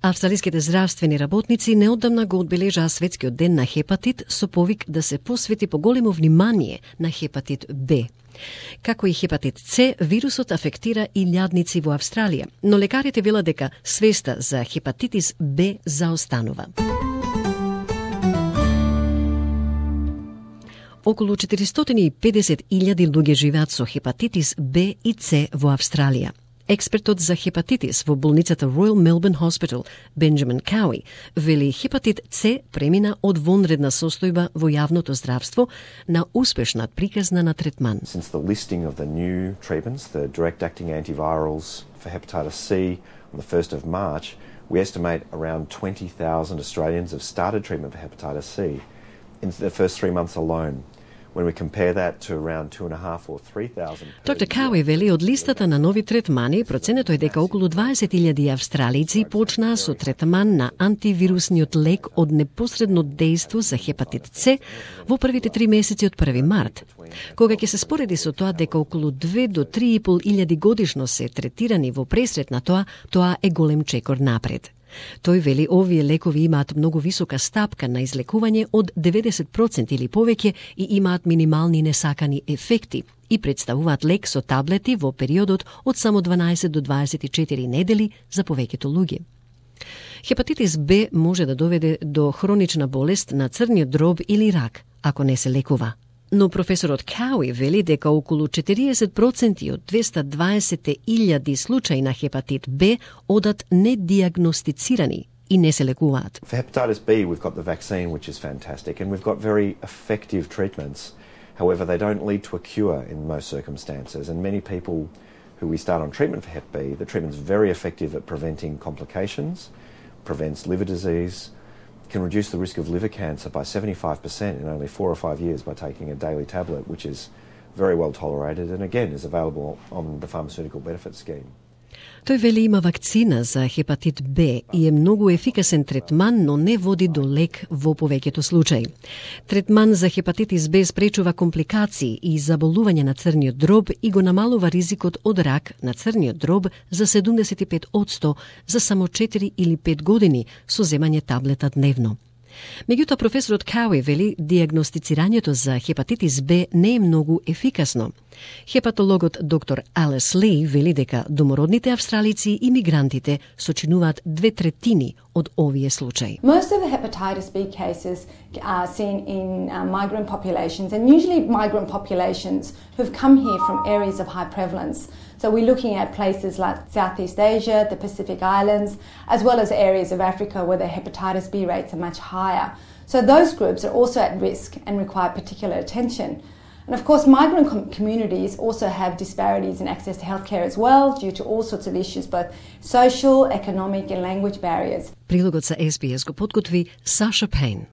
Австралиските здравствени работници неодамна го одбележаа светскиот ден на хепатит со повик да се посвети поголемо внимание на хепатит Б. Како и хепатит С, вирусот афектира и лјадници во Австралија, но лекарите велат дека свеста за хепатитис Б заостанува. Околу 450.000 луѓе живеат со хепатитис Б и С во Австралија. Експертот за хепатитис во болницата Royal Melbourne Hospital, Бенџамин Кауи, вели хепатит С премина од вонредна состојба во јавното здравство на успешна приказна на третман. Since the listing of the new treatments, the direct-acting antivirals for hepatitis C on the 1st of March, we estimate around 20,000 Australians have started treatment for hepatitis C in the first 3 months alone. When we compare that to around 2,500 or 3,000. Доктор Кауи вели од листата на нови третмани, проценето е дека околу 20.000 австралици почнаа со третман на антивирусниот лек од непосредно дејство за хепатит С во првите 3 месеци од 1 март. Кога ќе се спореди со тоа дека околу 2 до 3.500 годишно се третирани во пресрет на тоа е голем чекор напред. Тој вели овие лекови имаат многу висока стапка на излекување од 90% или повеќе и имаат минимални несакани ефекти и представуваат лек со таблети во периодот од само 12 до 24 недели за повеќето луѓе. Хепатитис Б може да доведе до хронична болест на црниот дроб или рак, ако не се лекува. Но професорот Кауи вели дека околу 40% од 220.000 случаи на хепатит Б одат недиагностицирани и не се лекуваат. For hepatitis B, we've got the vaccine, which is fantastic, and we've got very effective treatments. However, they don't lead to a cure in most circumstances, and many people who we start on treatment for Hep B, the treatment's very effective at preventing complications, prevents liver disease, can reduce the risk of liver cancer by 75% in only 4 or 5 years by taking a daily tablet, which is very well tolerated and again is available on the pharmaceutical benefit scheme. Тој вели има вакцина за хепатит Б и е многу ефикасен третман, но не води до лек во повеќето случаи. Третман за хепатитис Б спречува компликации и заболување на црниот дроб и го намалува ризикот од рак на црниот дроб за 75% за само 4 или 5 години со земање таблета дневно. Меѓутоа, професорот Кауи вели диагностицирањето за хепатитис Б не е многу ефикасно. Хепатологот доктор Алис Ли вели дека домородните австралици и мигрантите сочинуваат 2/3 од овие случаи. Most of the hepatitis B cases are seen in migrant populations, and usually migrant populations who've come here from areas of high prevalence. So we're looking at places like Southeast Asia, the Pacific Islands, as well as areas of Africa where the hepatitis B rates are much higher. So those groups are also at risk and require particular attention. And of course, migrant communities also have disparities in access to healthcare as well due to all sorts of issues, both social, economic and language barriers. Прилогот за SBS го подготви Саша Пейн.